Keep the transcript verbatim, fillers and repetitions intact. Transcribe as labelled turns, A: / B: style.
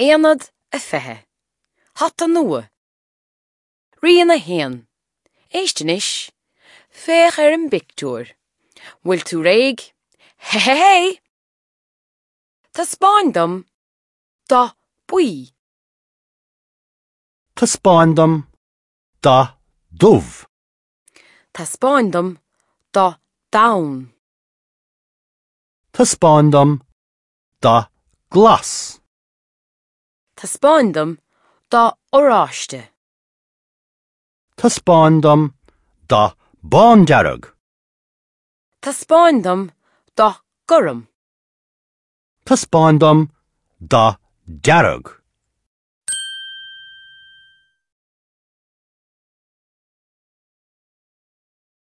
A: Aonad a fiche. Hata nua. Rian a haon. Éist anois. Féach ar an bpictiúr. Bhfuil tú réidh? Hé hé hé! Taispeáin dom dath buí.
B: Taispeáin dom dath dubh.
A: Taispeáin dom dath donn.
B: Taispeáin dom dath glas.
A: Taispeáin dom dath oráiste.
B: Taispeáin dom dath bándearg.
A: Taispeáin dom dath gorm.
B: Taispeáin dom dath dearg.